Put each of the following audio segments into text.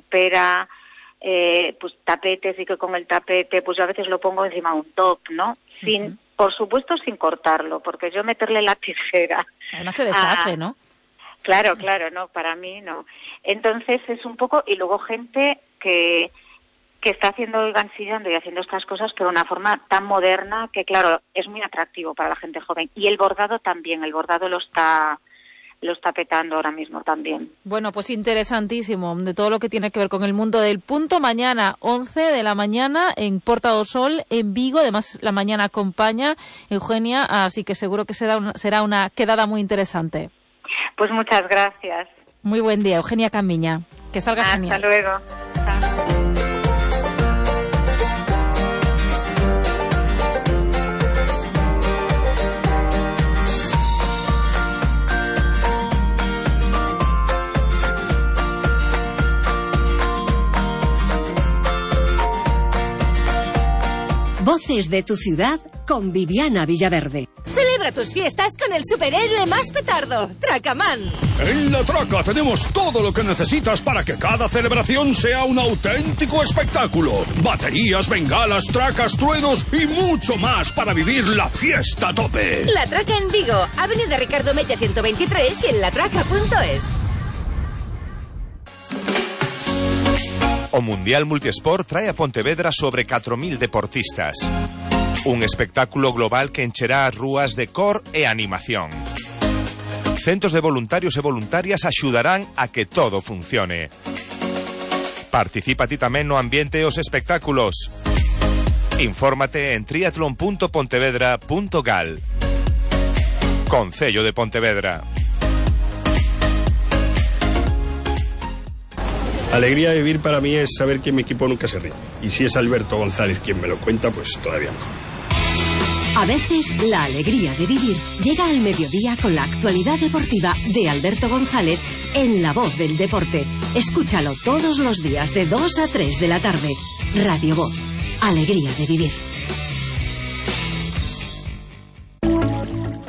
supera pues tapetes, y que con el tapete pues yo a veces lo pongo encima de un top, ¿no? Sin, por supuesto, sin cortarlo, porque yo meterle la tijera... Además se deshace, ¿no? Claro, no, para mí no. Entonces es un poco... Y luego gente que está haciendo el gansillando y haciendo estas cosas, pero de una forma tan moderna que, claro, es muy atractivo para la gente joven. Y el bordado también, el bordado lo está petando ahora mismo también. Bueno, pues interesantísimo, de todo lo que tiene que ver con el mundo del punto. Mañana, 11 de la mañana, en Porta do Sol, en Vigo. Además, la mañana acompaña Eugenia, así que seguro que será una quedada muy interesante. Pues muchas gracias. Muy buen día, Eugenia Camiña. Que salga genial. Hasta luego. Chao. Voces de tu ciudad con Viviana Villaverde. Celebra tus fiestas con el superhéroe más petardo, Tracaman. En La Traca tenemos todo lo que necesitas para que cada celebración sea un auténtico espectáculo. Baterías, bengalas, tracas, truenos y mucho más para vivir la fiesta a tope. La Traca en Vigo, Avenida Ricardo Mella 123 y en latraca.es. O Mundial Multiesport trae a Pontevedra sobre 4.000 deportistas. Un espectáculo global que encherá as rúas de cor e animación. Centos de voluntarios e voluntarias axudarán a que todo funcione. Participa ti tamén no ambiente e os espectáculos. Infórmate en triatlon.pontevedra.gal. Concello de Pontevedra. Alegría de vivir para mí es saber que mi equipo nunca se rinde. Y si es Alberto González quien me lo cuenta, pues todavía mejor. A veces, la alegría de vivir llega al mediodía con la actualidad deportiva de Alberto González en La Voz del Deporte. Escúchalo todos los días de 2 a 3 de la tarde. Radio Voz. Alegría de vivir.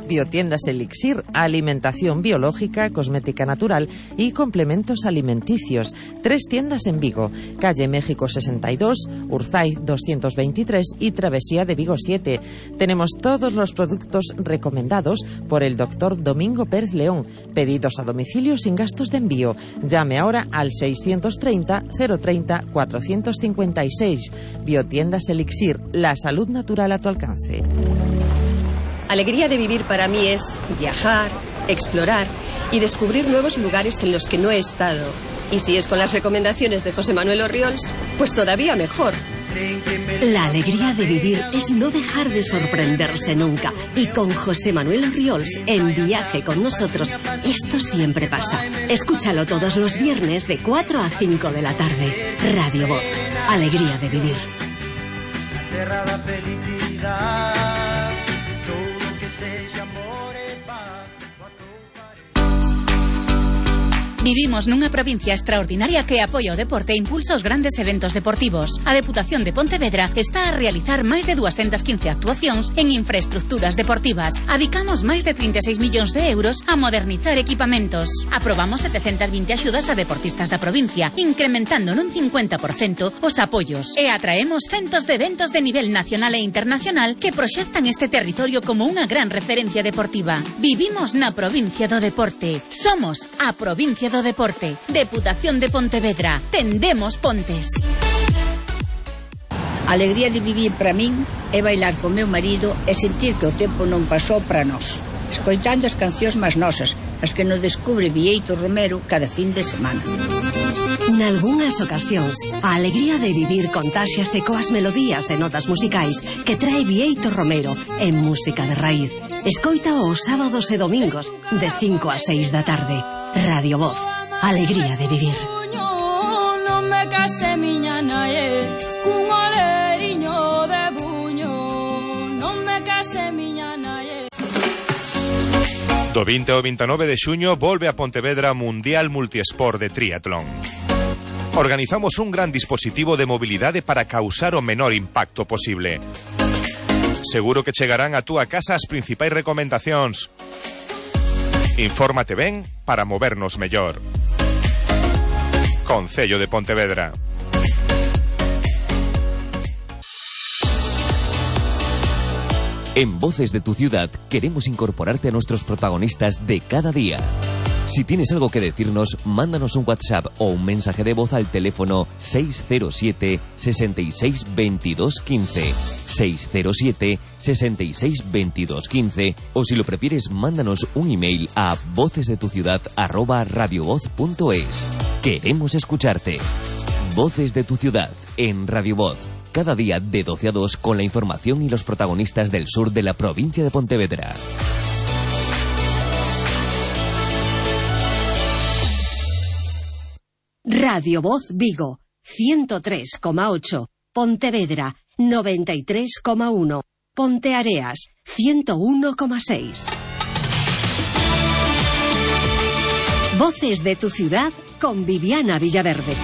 Biotiendas Elixir, alimentación biológica, cosmética natural y complementos alimenticios. 3 tiendas en Vigo, calle México 62, Urzaiz 223 y Travesía de Vigo 7. Tenemos todos los productos recomendados por el doctor Domingo Pérez León. Pedidos a domicilio sin gastos de envío. Llame ahora al 630 030 456. Biotiendas Elixir, la salud natural a tu alcance. Alegría de vivir para mí es viajar, explorar y descubrir nuevos lugares en los que no he estado. Y si es con las recomendaciones de José Manuel Orriols, pues todavía mejor. La alegría de vivir es no dejar de sorprenderse nunca. Y con José Manuel Orriols en Viaje con nosotros, esto siempre pasa. Escúchalo todos los viernes de 4 a 5 de la tarde. Radio Voz. Alegría de vivir. Vivimos nunha provincia extraordinaria que apoia o deporte e impulsa os grandes eventos deportivos. A Deputación de Pontevedra está a realizar máis de 215 actuacións en infraestructuras deportivas. Adicamos máis de 36 millóns de euros a modernizar equipamentos. Aprobamos 720 axudas a deportistas da provincia, incrementando nun 50% os apoios. E atraemos centos de eventos de nivel nacional e internacional que proxectan este territorio como unha gran referencia deportiva. Vivimos na provincia do deporte. Somos a provincia do deporte. Deputación de Pontevedra. Tendemos pontes. A alegría de vivir para min é bailar con meu marido e sentir que o tempo non pasou para nós, escoitando as cancións máis nosas, as que nos descubre Bieito Romero cada fin de semana. Nalgúnas ocasións, a alegría de vivir contáxiase coas melodías e notas musicais que trae Bieito Romero en música de raíz. Escoita os sábados e domingos de 5 a 6 da tarde. Radio Voz. Alegría de vivir. Non me case miña nae, cun oleriño de buño. Non me case miña nae. Do 20 ao 29 de xuño volve a Pontevedra Mundial Multiesport de Triatlón. Organizamos un gran dispositivo de mobilidade para causar o menor impacto posible. Seguro que chegarán a túa casa as principais recomendacións. Infórmate ben para movernos mellor. Concello de Pontevedra. En Voces de tu Ciudad queremos incorporarte a nuestros protagonistas de cada día. Si tienes algo que decirnos, mándanos un WhatsApp o un mensaje de voz al teléfono 607 66 22 15, 607 66 22 15, o si lo prefieres, mándanos un email a vocesdetuciudad@radiovoz.es. Queremos escucharte. Voces de tu Ciudad en Radio Voz. Cada día de 12 a 2 con la información y los protagonistas del sur de la provincia de Pontevedra. Radio Voz Vigo, 103,8. Pontevedra, 93,1. Ponteareas, 101,6. Voces de tu Ciudad con Viviana Villaverde.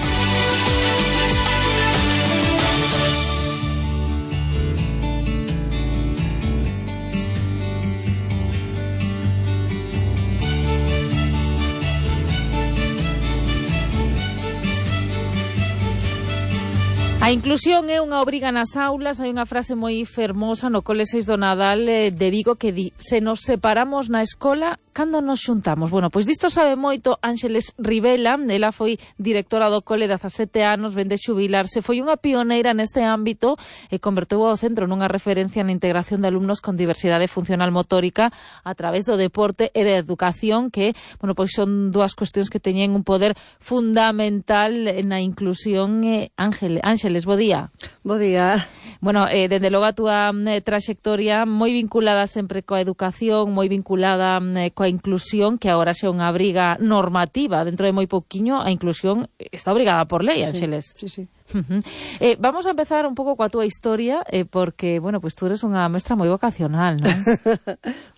A inclusión é unha obriga nas aulas. Hai unha frase moi fermosa no Cole 6 do Nadal de Vigo que di: se nos separamos na escola, cando nos xuntamos? Bueno, pois disto sabe moito Ángeles Rivela. Ela foi directora do Cole 17 anos, ven de xubilarse. Foi unha pioneira neste ámbito e converteu ao centro nunha referencia na integración de alumnos con diversidade funcional motórica a través do deporte e da educación, que, bueno, pois son dúas cuestións que teñen un poder fundamental na inclusión. Ángeles, bo día. Bo día. Bueno, dende logo a túa traxectoria moi vinculada sempre coa educación, moi vinculada coa inclusión, que agora xa unha obriga normativa. Dentro de moi pouquiño a inclusión está obrigada por lei, Ángeles. Sí, sí. Vamos a empezar un pouco coa túa historia, porque, bueno, pues tú eres unha mestra moi vocacional, non?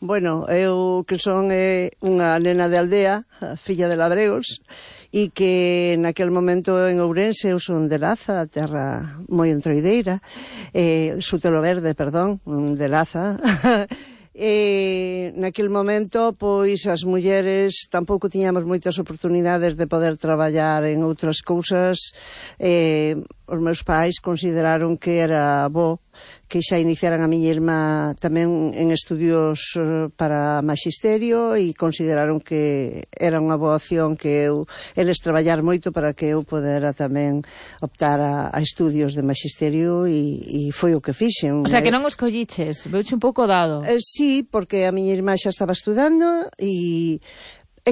Bueno, eu que son unha nena de aldea, filla de labregos, e que naquel momento en Ourense eu son de Laza, a terra moi entroideira, Sutelo Verde, perdón, de Laza. E naquel momento, pois, as mulleres tampouco tiñamos moitas oportunidades de poder traballar en outras cousas. Os meus pais consideraron que era bo que xa iniciaran a miña irmá tamén en estudios para magisterio, e consideraron que era unha boa opción que eles traballar moito para que eu podera tamén optar a estudios de magisterio, e foi o que fixen. O sea, que non os colliches, veuche un pouco dado. Sí, porque a miña irmá xa estaba estudando e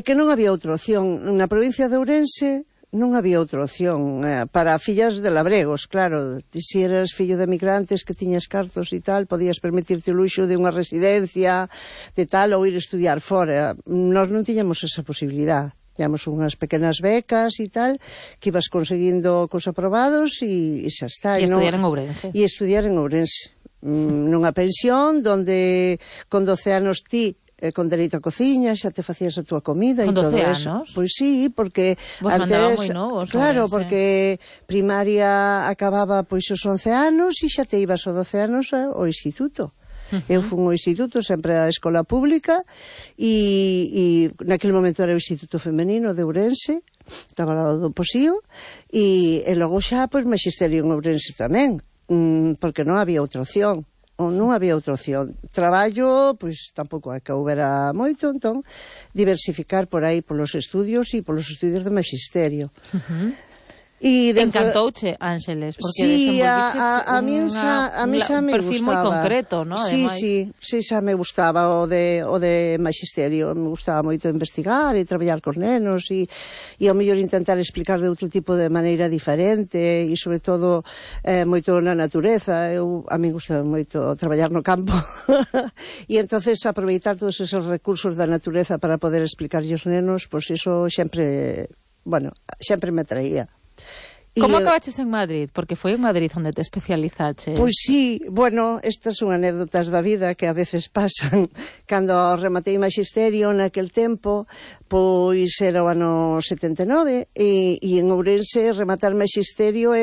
que non había outra opción. Na provincia de Ourense non había outra opción para fillas de labregos, claro. Se eras fillo de migrantes que tiñas cartos e tal, podías permitirte o luxo de unha residencia de tal, ou ir estudiar fora. Nós non tiñamos esa posibilidad. Tiñamos unhas pequenas becas e tal, que ibas conseguindo cos aprobados e xa está. E estudiar en Ourense. E estudiar en Ourense. Nunha pensión donde con 12 anos ti con dereito a cociña, xa te facías a túa comida e todo eso. Anos? Pois sí, porque vos antes, moi novos, claro, porque primaria acababa pois os 11 anos e xa te ibas aos 12 anos ao instituto. Eu fui ao instituto, sempre a escola pública, e naquele momento era o Instituto Femenino de Ourense, estaba ao lado do Posío, e logo xa pois magisterio en Ourense tamén, porque non había outra opción. Non había outra opción. Traballo, pois tampouco é que houbera moito, entón diversificar por aí polos estudios e polos estudios de magisterio. Encantouche, Ángeles, porque sí, a mí xa me gustaba. Un perfil moi concreto, ¿no? Sí, xa me gustaba o de magisterio. Me gustaba moito investigar e traballar con nenos e ao mellor intentar explicar de outro tipo de maneira diferente, e sobre todo moito na natureza. A mí gustaba moito traballar no campo e entonces aproveitar todos esos recursos da natureza para poder explicarlle aos nenos, pois iso sempre me atraía. Como acabaches en Madrid? Porque foi en Madrid onde te especializaches. Pois sí, bueno, estas son anécdotas da vida que a veces pasan. Cando rematei magisterio naquel tempo, pois era o ano 79, e en Ourense rematar magisterio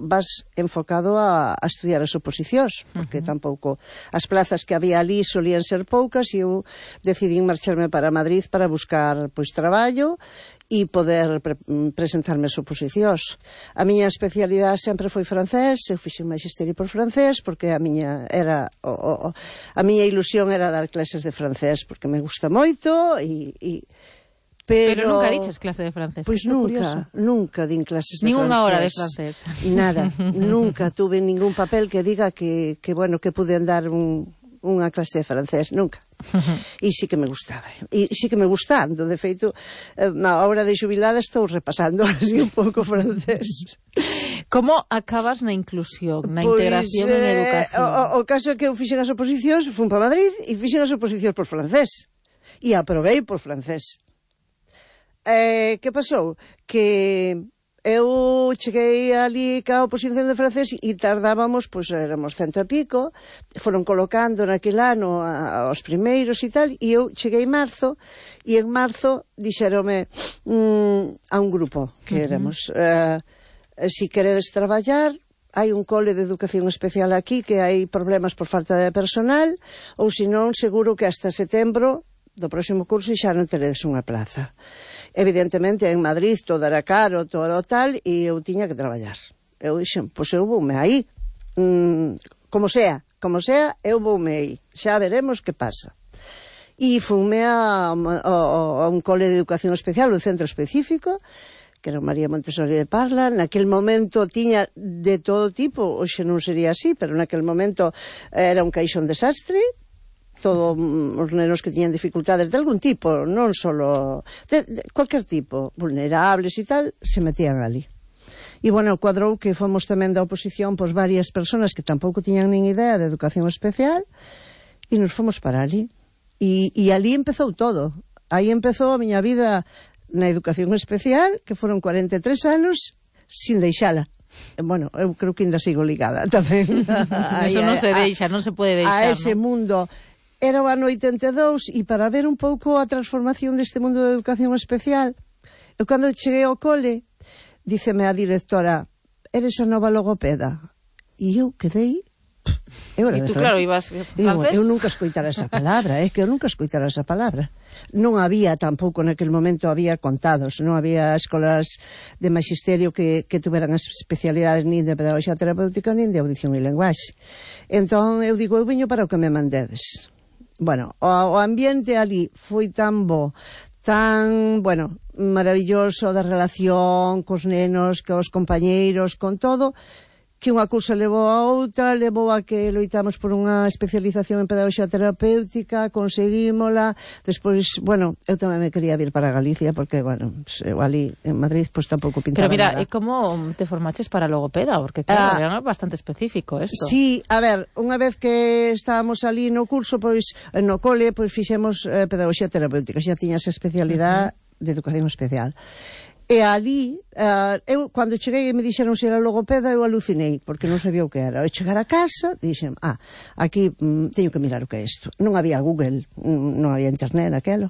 vas enfocado a estudiar as oposicións, porque tampouco as plazas que había ali solían ser poucas, e eu decidí marcharme para Madrid para buscar pois traballo. e poder presentarme as oposicións. A miña especialidade sempre foi francés, eu fixen magisterio por francés, porque a miña ilusión era dar clases de francés, porque me gusta moito, Pero nunca dices clase de francés. Pois nunca din clases de francés. Ninguna hora de francés. Nada, nunca tuve ningún papel que diga que puden dar unha clase de francés, nunca. E sí que me gustaba. E sí que me gustando, de feito, na hora de xubilada estou repasando así un pouco francés. Como acabas na inclusión, na integración en educación? O caso é que eu fixen as oposicións, fun para Madrid e fixen as oposicións por francés. E aprobei por francés. Que pasou? Que eu cheguei ali ca oposición de francés e tardábamos, pois éramos 100 e pico, foron colocando naquele ano aos primeiros e tal, e eu cheguei en marzo, e en marzo dixérome a un grupo que éramos, si queredes traballar, hai un cole de educación especial aquí que hai problemas por falta de personal, ou senón seguro que hasta setembro do próximo curso xa non teredes unha plaza. Evidentemente, en Madrid todo era caro, todo tal, e eu tiña que traballar. Eu dixen, pois eu voume aí. Como sea, eu voume aí. Xa veremos que pasa. E fume a un cole de educación especial, un centro específico, que era María Montessori de Parla. Naquel momento tiña de todo tipo, hoxe non sería así, pero naquel momento era un caixón desastre, todos os nenos que tiñan dificultades de algún tipo, non solo de cualquier tipo, vulnerables e tal, se metían ali. E, bueno, cuadrou que fomos tamén da oposición pois varias persoas que tampouco tiñan nin idea de educación especial e nos fomos para ali. E ali empezou todo. Aí empezou a miña vida na educación especial, que foron 43 anos, sin deixala. Bueno, eu creo que ainda sigo ligada tamén. Eso non se deixa, non se pode deixar. A ese mundo. Era o ano 82 e para ver un pouco a transformación deste mundo de educación especial, eu cando cheguei ao cole, díceme a directora, eres a nova logopeda? E eu quedei... E tú, claro, ibas francés? Eu nunca escoitara esa palabra, Non había tampouco naquele momento, había contados, non había escolas de magisterio que tuveran as especialidades nin de pedagogía terapéutica nin de audición e lenguaxe. Entón, eu digo, eu viño para o que me mandedes. Bueno, o ambiente ali foi tan bo, tan, bueno, maravilloso da relación cos nenos, cos compañeiros, con todo, que unha cousa levou a outra, levou a que loitamos por unha especialización en pedagogía terapéutica, conseguímola, despois, bueno, eu tamén me quería vir para Galicia, porque, bueno, eu ali en Madrid, pois tampouco pintaba nada. Pero mira, e como te formaches para logopeda? Porque, claro, é bastante específico isto. Sí, a ver, unha vez que estábamos ali no curso, pois, no cole, pois fixemos pedagogía terapéutica, xa tiña esa especialidade de educación especial. E ali, eu, cando cheguei e me dixeron se era logopeda, eu alucinei, porque non sabía o que era. Ao chegar a casa, dixen, aquí teño que mirar o que é isto. Non había Google, non había internet naquelo,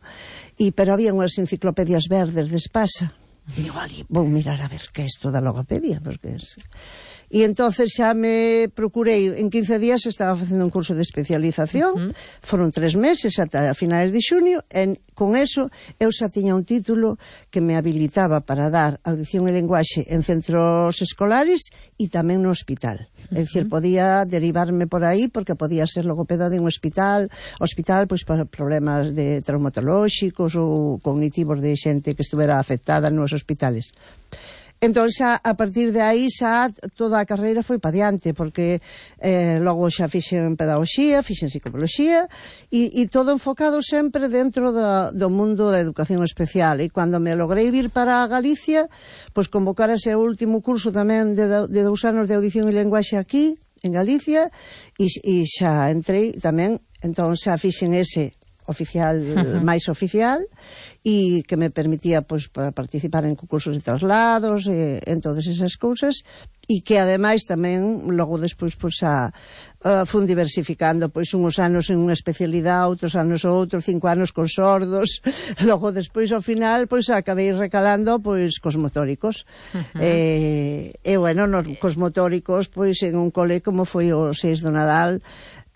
pero había unhas enciclopedias verdes de Espasa. E digo, ali, vou mirar a ver que é isto da logopedia, porque... E entonces xa me procurei, en 15 días estaba facendo un curso de especialización, foron 3 meses ata finales de xunio, e con eso eu xa tiña un título que me habilitaba para dar audición e lenguaxe en centros escolares e tamén no hospital. É dicir, podía derivarme por aí porque podía ser logopeda de un hospital pois para problemas de traumatolóxicos ou cognitivos de xente que estuvera afectada nos hospitales. Entón, xa, a partir de aí, xa toda a carreira foi pa diante, porque logo xa fixen pedagogía, fixen psicoloxía, e todo enfocado sempre dentro do mundo da educación especial. E cando me logrei vir para Galicia, pois convocarase o último curso tamén de 2 anos de audición e lenguaxe aquí, en Galicia, e xa entrei tamén, entón xa fixen ese oficial, máis oficial, e que me permitía pois participar en concursos de traslados, en todas esas cousas, e que ademais tamén logo despois pois fun diversificando, pois uns anos en unha especialidade, outros anos outro, 5 anos con sordos, logo despois ao final pois acabei recalando pois cos motóricos. E bueno, nos cos motóricos pois en un cole como foi o 6 do Nadal,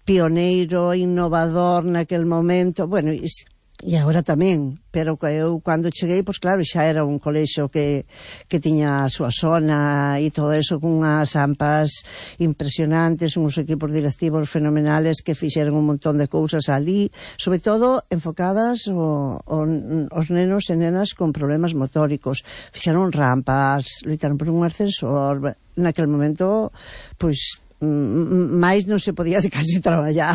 pioneiro, innovador naquel momento, bueno, e agora tamén, pero eu cando cheguei, pois claro, xa era un colexo que tiña a súa zona e todo eso, con unhas AMPAs impresionantes, uns equipos directivos fenomenales que fixeron un montón de cousas ali, sobre todo enfocadas aos nenos e nenas con problemas motóricos. Fixeron rampas, loitaron por un ascensor, naquele momento, pois máis non se podía casi traballar.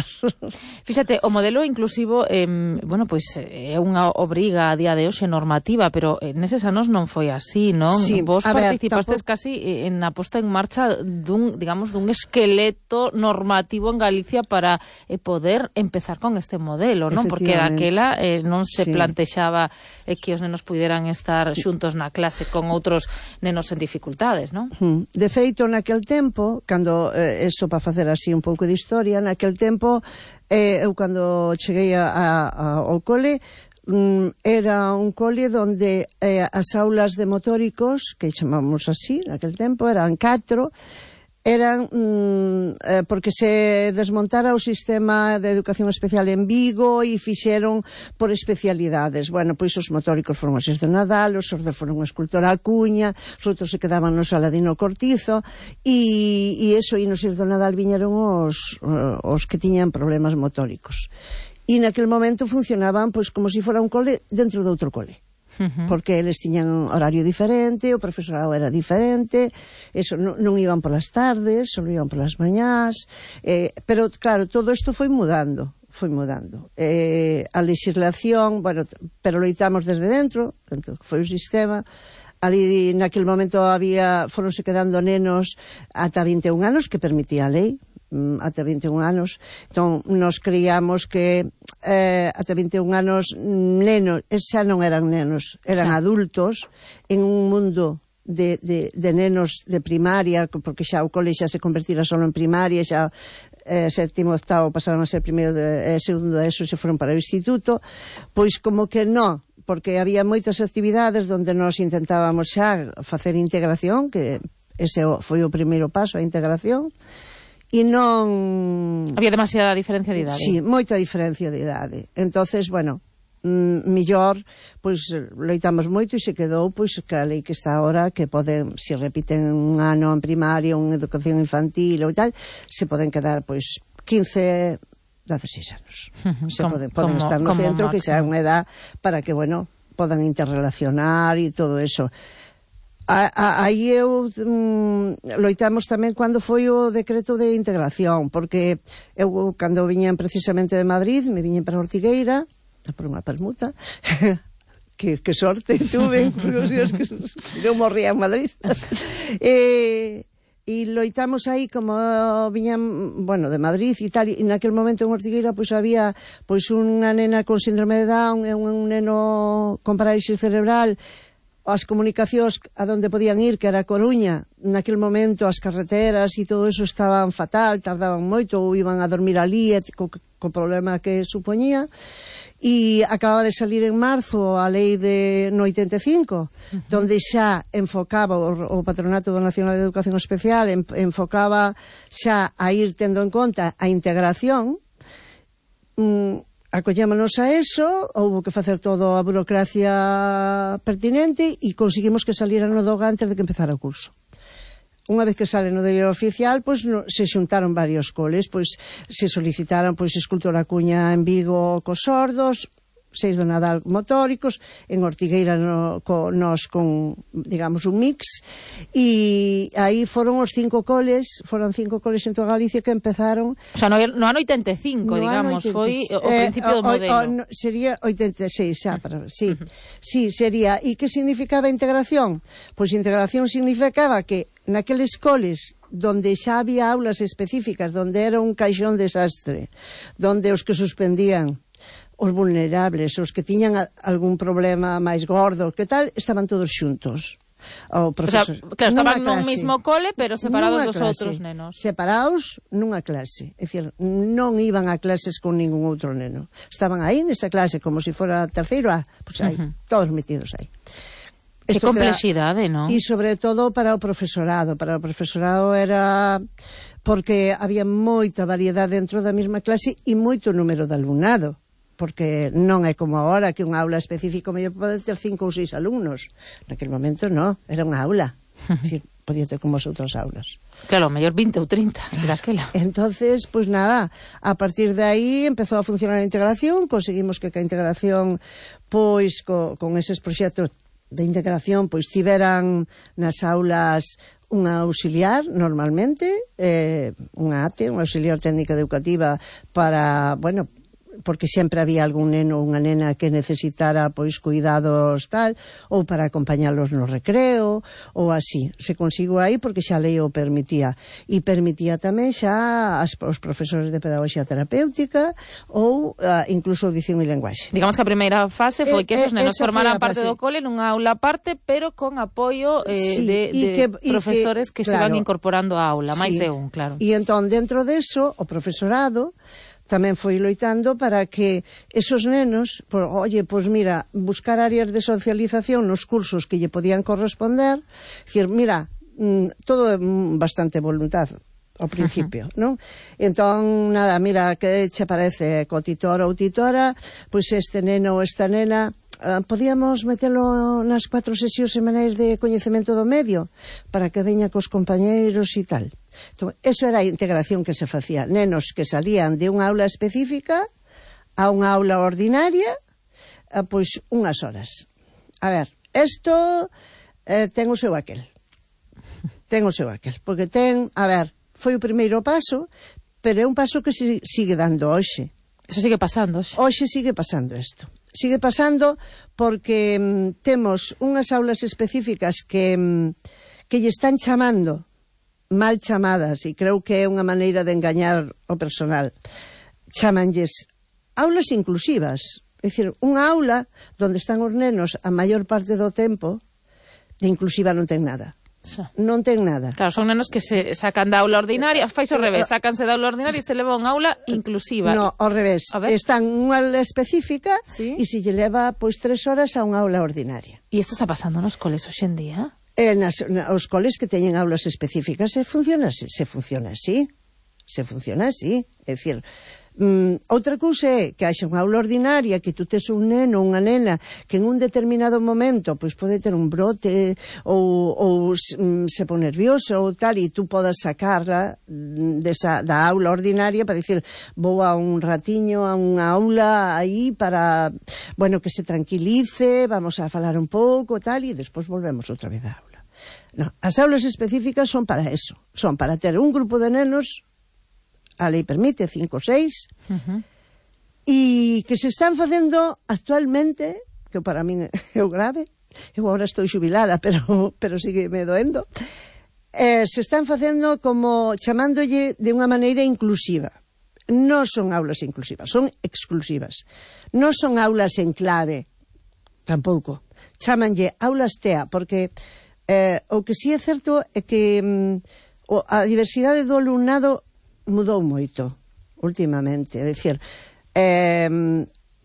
Fíxate, o modelo inclusivo bueno, pois é unha obriga a día de hoxe normativa, pero neses anos non foi así, non? Sí, vos participastes casi en a posta en marcha dun esqueleto normativo en Galicia para poder empezar con este modelo, non? Porque daquela non se plantexaba que os nenos puderan estar xuntos na clase con outros nenos en dificultades, non? De feito, naquel tempo, cando eso para facer así un pouco de historia, naquel tempo eu cando cheguei ao cole era un cole donde as aulas de motóricos, que chamamos así naquel tempo, eran 4, eran porque se desmontara o sistema de educación especial en Vigo e fixeron por especialidades. Bueno, pois os motóricos foron os de Nadal, os ordes foron a escultora Acuña, os outros se quedaban no Saladino Cortizo e eso, e nos do Nadal viñeron os que tiñan problemas motóricos. E naquele momento funcionaban pois como se fora un cole dentro de outro cole. Porque eles tiñan un horario diferente, o profesorado era diferente, eso non iban polas tardes, só iban polas mañás, pero claro, todo isto foi mudando. A legislación, bueno, pero loitamos desde dentro, foi o sistema. Ali naquele momento foronse quedando nenos ata 21 anos que permitía a lei, ata 21 anos. Entón, nos creíamos que ata 21 anos nenos, xa non eran nenos, eran adultos en un mundo de nenos de primaria, porque xa o cole xa se convertira solo en primaria, xa sétimo, octavo pasaron a ser primeiro e segundo de eso, se foron para o instituto, pois como que non, porque había moitas actividades onde nos intentábamos xa facer integración, que ese foi o primeiro paso, a integración, e non... Había demasiada diferencia de idade. Sí, moita diferencia de idade. Entonces, bueno, mellor, pois, loitamos moito e se quedou, pois, que a lei que está agora, que poden, se repiten un ano en primaria, unha educación infantil ou tal, se poden quedar, pois, 15, 16 anos. Poden estar no centro, que xa é unha edad para que, bueno, podan interrelacionar e todo eso. Aí eu loitamos tamén cando foi o decreto de integración, porque eu cando viñan precisamente de Madrid, me viñen para Ortigueira por unha permuta que sorte tuve, porque que non morría en Madrid e loitamos aí como viñan, bueno, de Madrid e tal, e naquel momento en Ortigueira pois había pois unha nena con síndrome de Down e un neno con parálisis cerebral. As comunicacións a donde podían ir, que era a Coruña, naquele momento as carreteras e todo eso estaban fatal, tardaban moito, ou iban a dormir ali co problema que supoñía, e acababa de salir en marzo a lei no 85, donde xa enfocaba o Patronato Nacional de Educación Especial, enfocaba xa a ir tendo en conta a integración. Acollémonos a eso, houve que facer toda a burocracia pertinente e conseguimos que saliran no DOGA antes de que empezara o curso. Unha vez que sale no diario oficial, pois se xuntaron varios coles, pois se solicitaron pois escultora Acuña en Vigo cos sordos, 6 do Nadal motóricos, en Ortigueira nos con, digamos, un mix, e aí foron os 5 coles, foron 5 coles en toda Galicia que empezaron... O sea, no ano 85, digamos, foi o principio do modelo. Sería 86, xa, sí, sería. E que significaba integración? Pois integración significaba que naqueles coles donde xa había aulas específicas, donde era un caixón desastre, donde os que suspendían, os vulnerables, os que tiñan algún problema máis gordo, que tal, estaban todos xuntos. O sea, claro, estaban nun mismo cole, pero separados dos outros nenos. Separados nunha clase. É dicir, non iban a clases con ningún outro neno. Estaban aí nesa clase, como se fora terceiro A, pois aí, todos metidos aí. Que complexidade, non? E sobre todo para o profesorado. Para o profesorado era... porque había moita variedade dentro da mesma clase e moito número de alumnado. porque non é como agora que unha aula específica mellor pode ter 5 ou 6 alumnos. Naquele momento non, era unha aula. Decir, podía ter como as outras aulas. Claro, mellor 20 ou 30, daquela. Entonces, pues nada, a partir de aí empezou a funcionar a integración, conseguimos que a integración, pois, con eses proxectos de integración, pois tiveran nas aulas unha auxiliar, normalmente, unha ATE, unha auxiliar técnica educativa para, bueno, porque sempre había algún neno ou unha nena que necesitara pois cuidados tal, ou para acompañalos no recreo, ou así. Se consigo aí porque xa a lei o permitía. E permitía tamén xa os profesores de pedagogía terapéutica ou incluso audición e lenguaxe. Digamos que a primeira fase foi que esos nenos formaran parte do cole nunha aula aparte, pero con apoio de profesores que se van incorporando á aula, máis de un, claro. E entón, dentro deso, o profesorado tamén foi loitando para que esos nenos, pois mira, buscar áreas de socialización nos cursos que lle podían corresponder, dicir, mira, todo é bastante voluntad ao principio, non? Entón, nada, mira, que che parece co titor ou titora, pois este neno ou esta nena, podíamos metelo nas 4 sesións semanais de coñecemento do medio para que veña cos compañeiros e tal. Entón, eso era a integración que se facía. Nenos que salían de unha aula específica a unha aula ordinaria, pois unhas horas. A ver, isto ten o seu aquel. Ten o seu aquel. Porque ten, a ver, foi o primeiro paso, pero é un paso que se sigue dando hoxe. Eso sigue pasando hoxe. Hoxe sigue pasando isto. Sigue pasando porque temos unhas aulas específicas que lle están chamando mal chamadas, e creo que é unha maneira de engañar o personal. Chamanlles aulas inclusivas, é dicir, unha aula onde están os nenos a maior parte do tempo, de inclusiva non ten nada. Non ten nada. Claro, son nenos que se sacan da aula ordinaria, fais ao revés, sacanse da aula ordinaria e se leva unha aula inclusiva. No, ao revés, están unha aula específica e se lle leva pois 3 horas a unha aula ordinaria. E isto está pasando nos coles hoxe en día? Os coles que teñen aulas específicas se funciona así. É dicir, outra cousa é que haxa unha aula ordinaria, que tú tes un neno ou unha nena que en un determinado momento pois pode ter un brote ou se pon nervioso ou tal, e tú podas sacarla da aula ordinaria para dicir, vou a un ratiño a unha aula aí para, bueno, que se tranquilice, vamos a falar un pouco tal, e despois volvemos outra vez á aula. No, as aulas específicas son para eso, son para ter un grupo de nenos, a lei permite 5 ou 6, e que se están facendo actualmente, que para min é o grave, eu agora estou xubilada, pero sigue me doendo, se están facendo como chamándolle de unha maneira inclusiva. Non son aulas inclusivas, son exclusivas. Non son aulas en clave, tampouco. Chámanlle aulas TEA, porque o que si é certo é que a diversidade do alumnado mudou moito últimamente, é dicir,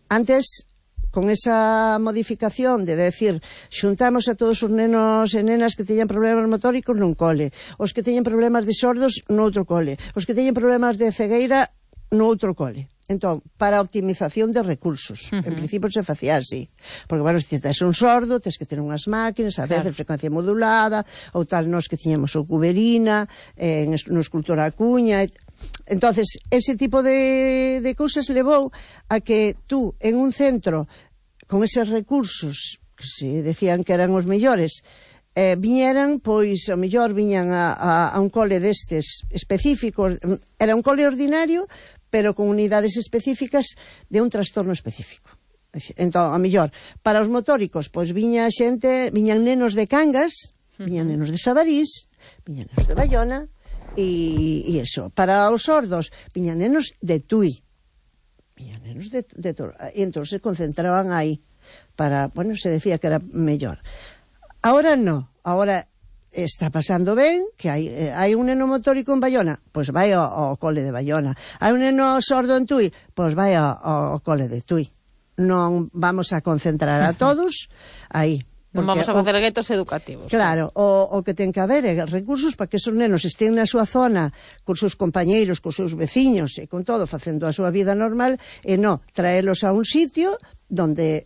antes con esa modificación de decir, xuntamos a todos os nenos e nenas que teñan problemas motóricos nun cole, os que teñen problemas de sordos noutro cole, os que teñen problemas de cegueira noutro cole. Entón, para a optimización de recursos, en principio se facía así, porque, bueno, se tes un sordo, tes que ter unhas máquinas, a veces frecuencia modulada, ou tal, nos que tiñamos o Cuberina, no Escultora Acuña. Entonces, ese tipo de cousas levou a que tú, en un centro, con eses recursos, que se decían que eran os mellores, viñeran, pois, o mellor viñan a un cole destes específicos, era un cole ordinario, pero con unidades específicas de un trastorno específico. Entón, a mellor, para os motóricos, pois viñan nenos de Cangas, viñan nenos de Sabarís, viñan nenos de Bayona, e eso. Para os sordos, viñan nenos de Tui, viñan nenos de Toro, e entón se concentraban aí, para, bueno, se decía que era mellor. Ahora no, ahora está pasando ben, que hai un neno motórico en Bayona, pois vai ao cole de Bayona. Hai un neno sordo en Tui, pois vai ao cole de Tui. Non vamos a concentrar a todos aí. Non vamos a facer guetos educativos. Claro, o que ten que haber é recursos para que esos nenos estén na súa zona, con seus compañeiros, con seus veciños e con todo, facendo a súa vida normal, e non traelos a un sitio donde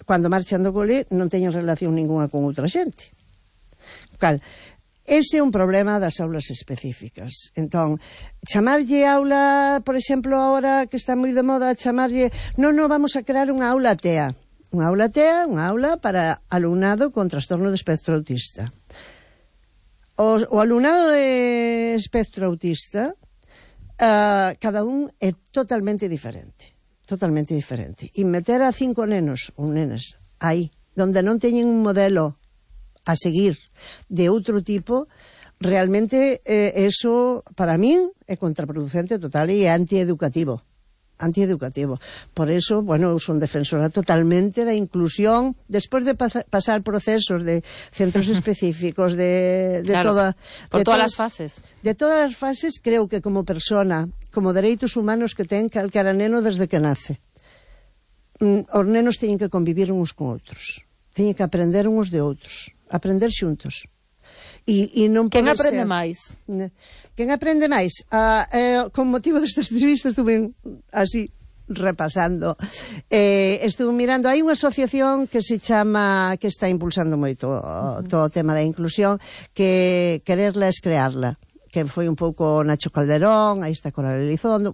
cando marchan do cole non teñen relación ninguna con outra xente. Cal, ese é un problema das aulas específicas. Entón, chamarlle aula, por exemplo, agora que está moi de moda, chamarlle, non, vamos a crear unha aula TEA. Unha aula TEA, unha aula para alumnado con trastorno de espectro autista. O alumnado de espectro autista, cada un é totalmente diferente. Totalmente diferente. E meter a 5 nenos ou nenas aí, donde non teñen un modelo a seguir de outro tipo, realmente eso, para min, é contraproducente total e antieducativo. Por eso, bueno, eu son defensora totalmente da inclusión despois de pasar procesos de centros específicos claro, por todas as fases. De todas as fases, creo que como persona, como dereitos humanos que ten calquera neno desde que nace, os nenos teñen que convivir uns con outros, teñen que aprender uns de outros, aprender xuntos. E non quen aprende máis? Quen aprende máis? Con motivo desta entrevista estuve así repasando, estuve mirando, hai unha asociación que se chama, que está impulsando moito todo o tema da inclusión, que quererla es crearla, que foi un pouco Nacho Calderón, aí está Coral Elizondo,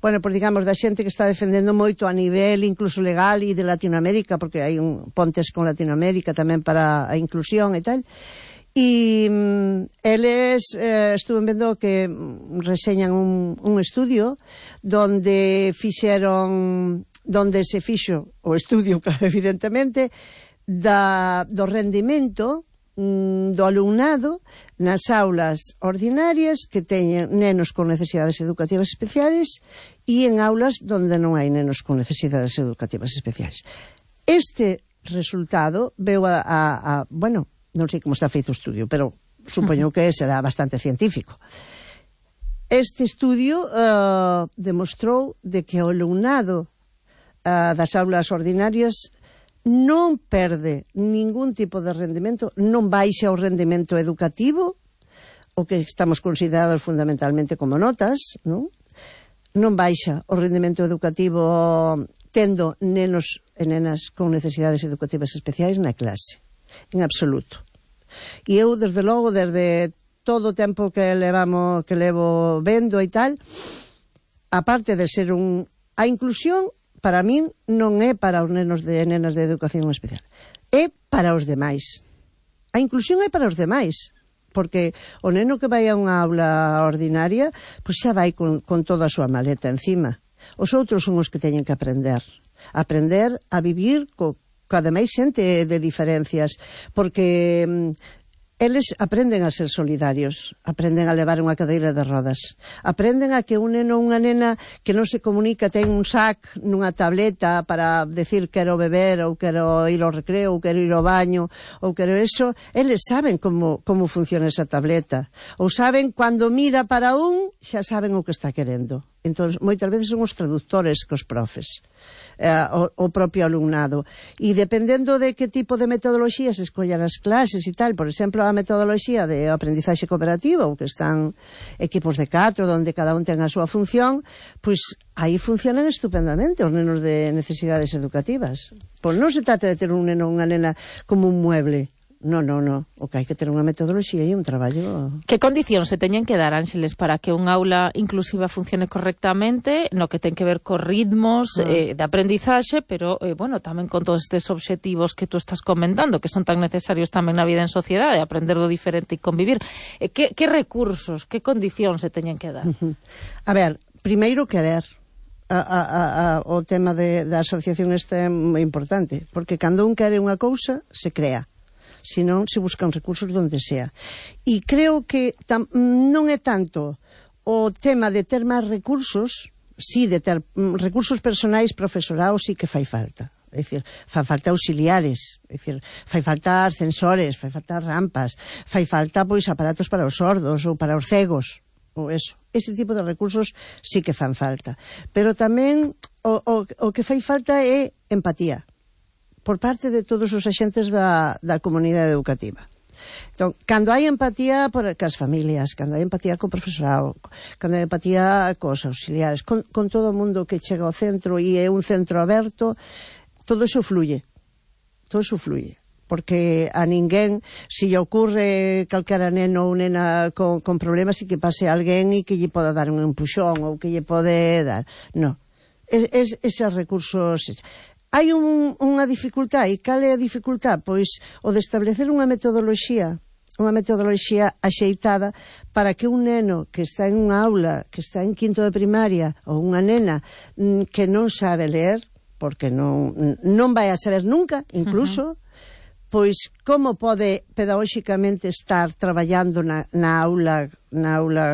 bueno, pues digamos, da xente que está defendendo moito a nivel incluso legal e de Latinoamérica, porque hai pontes con Latinoamérica tamén para a inclusión e tal. E eles estuven vendo que reseñan un estudio donde se fixo o estudio, claro, evidentemente, do rendimento do alumnado nas aulas ordinarias que teñen nenos con necesidades educativas especiales e en aulas donde non hai nenos con necesidades educativas especiales. Este resultado veu bueno, non sei como está feito o estudio, pero supoño que será bastante científico. Este estudio demostrou de que o alumnado das aulas ordinarias non perde ningún tipo de rendimento, non baixa o rendimento educativo, o que estamos considerados fundamentalmente como notas, non baixa o rendimento educativo tendo nenos e nenas con necesidades educativas especiais na clase. En absoluto. E eu, desde logo, desde todo o tempo que levo vendo e tal, aparte de ser a inclusión, para min, non é para os nenos e nenas de educación especial. É para os demais. A inclusión é para os demais. Porque o neno que vai a unha aula ordinaria, pois xa vai con toda a súa maleta encima. Os outros son os que teñen que aprender a vivir cada máis xente de diferencias, porque eles aprenden a ser solidarios, aprenden a levar unha cadeira de rodas, aprenden a que un neno ou unha nena que non se comunica ten un sac nunha tableta para decir quero beber ou quero ir ao recreo ou quero ir ao baño ou quero eso, eles saben como funciona esa tableta, ou saben cando mira para xa saben o que está querendo. Entón, moitas veces son os traductores que os profes, o propio alumnado. E dependendo de que tipo de metodoloxía se escollan as clases e tal, por exemplo, a metodoloxía de aprendizaxe cooperativo, que están equipos de 4, onde cada un ten a súa función, pois aí funcionan estupendamente os nenos de necesidades educativas. Pois non se trata de ter un neno ou unha nena como un mueble. No. O que hai que ter unha metodoloxía e un traballo. Que condicións se teñen que dar, Ángeles, para que unha aula inclusiva funcione correctamente, no que ten que ver co ritmos de aprendizaxe, pero, bueno, tamén con todos estes obxectivos que tú estás comentando, que son tan necesarios tamén na vida en sociedade, aprender do diferente e convivir. Que recursos, que condicións se teñen que dar? A ver, primeiro querer. O tema da asociación este é moi importante, porque cando un quere unha cousa, se crea. Senón se buscan recursos donde sea. E creo que non é tanto o tema de ter máis recursos, sí, de ter recursos personais, profesorado, sí que fai falta. É dicir, fai falta auxiliares, é dicir, fai falta ascensores, fai falta rampas, fai falta pois aparatos para os sordos ou para os cegos, ou eso. Ese tipo de recursos sí que fan falta. Pero tamén o que fai falta é empatía. por parte de todos os axentes da comunidade educativa. Entón, cando hai empatía cas familias, cando hai empatía co profesorado, cando hai empatía cos auxiliares, con todo o mundo que chega ao centro e é un centro aberto, todo iso fluye. Todo iso fluye. Porque a ninguén, se lle ocurre calquera neno ou nena con problemas, e que pase alguén e que lle poda dar un empuxón ou que lle pode dar. Non. Eses recursos... Hai unha dificultad, e cal é a dificultad? Pois o de establecer unha metodoloxía axeitada para que un neno que está en unha aula, que está en quinto de primaria, ou unha nena que non sabe ler, porque non vai a saber nunca, incluso, pois como pode pedagóxicamente estar traballando na aula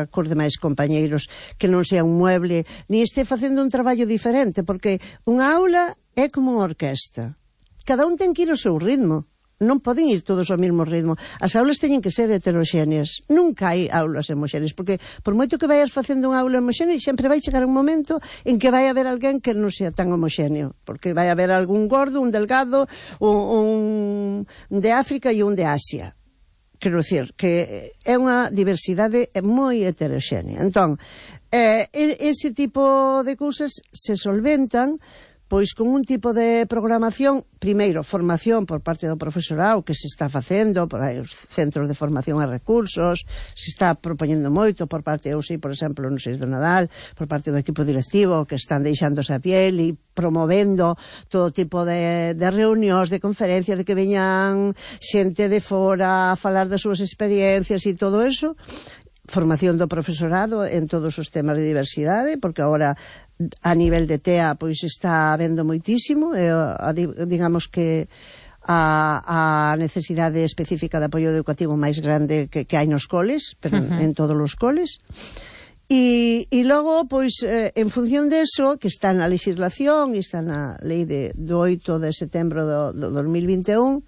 cos demais compañeiros, que non sea un mueble, ni este facendo un traballo diferente, porque unha aula é como unha orquesta. Cada un ten que ir ao seu ritmo. Non poden ir todos ao mesmo ritmo. As aulas teñen que ser heteroxéneas. Nunca hai aulas homoxéneas, porque por moito que vayas facendo unha aula homoxénea, sempre vai chegar un momento en que vai haber alguén que non sea tan homoxéneo, porque vai haber algún gordo, un delgado, un de África e un de Asia. Quero dicir, que é unha diversidade moi heteroxénea. Entón, ese tipo de cousas se solventan pois con un tipo de programación, primeiro, formación por parte do profesorado que se está facendo, por aí os centros de formación e recursos, se está propoñendo moito por parte, eu sei, por exemplo, no 6 do Nadal, por parte do equipo directivo, que están deixándose a piel e promovendo todo tipo de reunións, de conferencias, de que veñan xente de fora a falar das súas experiencias e todo eso. Formación do profesorado en todos os temas de diversidade, porque agora a nivel de TEA pois está habendo moitísimo, digamos que a necesidade específica de apoio educativo máis grande que hai nos coles, pero en todos os coles. E logo, pois, en función deso, que está na legislación e está na lei do 8 de setembro do 2021,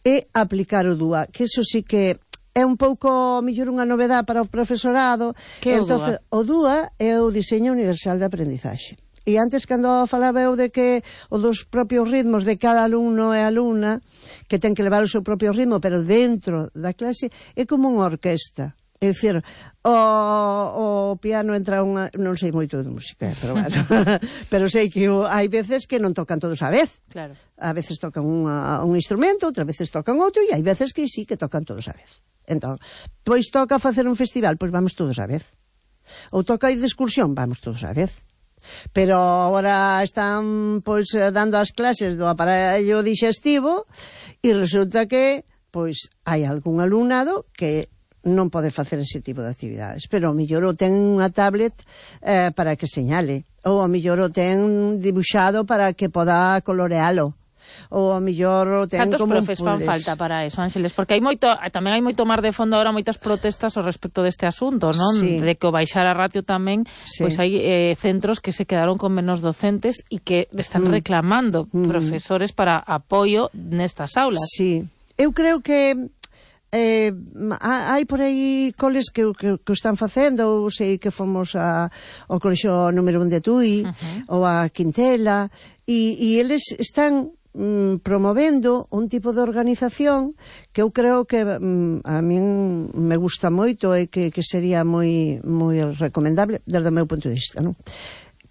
é aplicar o DUA, que eso sí que é un pouco mellor unha novedade para o profesorado. Que é o DUA? O DUA é o Diseño Universal de Aprendizaxe. E antes, cando falaba eu de que o dos propios ritmos de cada alumno e alumna, que ten que levar o seu propio ritmo, pero dentro da clase, é como unha orquesta. É dicir, o piano entra unha... Non sei moito de música, pero bueno. Pero sei que hai veces que non tocan todos a vez. Claro. A veces tocan un instrumento, outras veces tocan outro, e hai veces que sí que tocan todos a vez. Entón, pois toca facer un festival, pois vamos todos a vez. Ou toca ir de excursión, vamos todos a vez. Pero agora están pois dando as clases do aparello digestivo e resulta que pois hai algún alumnado que non pode facer ese tipo de actividades, pero ao mellor o ten unha tablet para que señale, ou ao mellor o ten dibuixado para que poda colorealo, ou ao mellor ten Cantos como profes fan falta para eso, Ángeles? Porque tamén hai moito mar de fondo agora, moitas protestas ao respecto deste asunto, non? Sí. De que o baixar a ratio tamén, Sí. pois hai centros que se quedaron con menos docentes e que están reclamando profesores para apoio nestas aulas. Sí, eu creo que hai por aí coles que o están facendo. Eu sei que fomos ao colexio número 1 de Tui, ou a Quintela, e eles están promovendo un tipo de organización que eu creo que a min me gusta moito e que sería moi recomendable desde o meu punto de vista, non?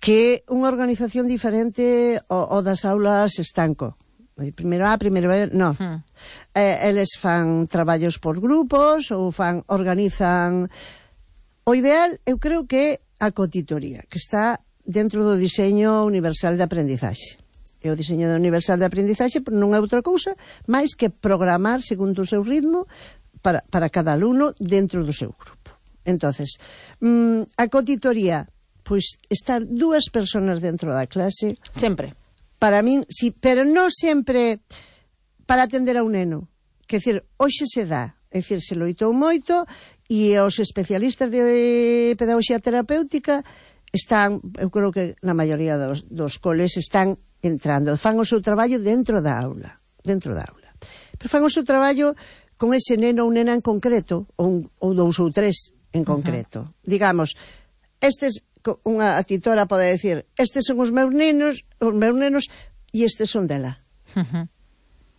Que é unha organización diferente ao das aulas estanco. Primeiro A, primeiro B, non. Eles fan traballos por grupos ou organizan. O ideal, eu creo que é a cotitoría, que está dentro do diseño universal de aprendizaxe. E o diseño universal de aprendizaxe non é outra cousa máis que programar segundo o seu ritmo para cada alumno dentro do seu grupo. Entonces, a cotitoría, pois estar 2 persoas dentro da clase. Sempre. Para min, sí, pero non sempre para atender a un neno. Quer dizer, hoxe se dá, é dicir, se loitou moito e os especialistas de pedagogía terapéutica están, eu creo que na maioría dos coles están entrando, fan o seu traballo dentro da aula. Pero fan o seu traballo con ese neno ou nena en concreto, ou 2 ou 3 en concreto. Digamos, unha titora pode decir, estes son os meus nenos e estes son dela.